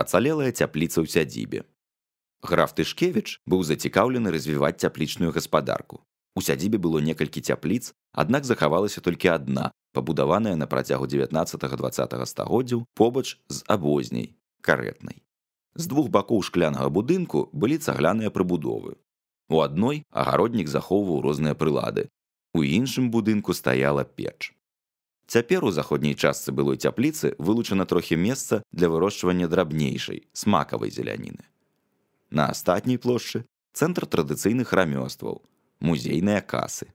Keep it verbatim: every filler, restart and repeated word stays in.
ацалелая цяпліца ў сядзібе. Граф Тышкевіч быў зацікаўлены развіваць цяплічную гаспадарку. У сядзібе было некалькі цяпліц, аднак захавалася толькі адна, пабудаваная на працягу дзевятнаццатага-дваццатага стагоддзяў побач з абозняй, карэтнай. З двух бакоў шклянага будынку былі цагляныя прыбудовы. У адной агароднік захоўваў розныя прылады, у іншым будынку стаяла печ. Цяпер у заходняй частцы былой цяпліцы вылучана трохі месца для вырошчвання драбнейшай, смакавай зеляніны. На астатняй плошчы цэнтр традыцыйных рамёстваў, музейныя касы.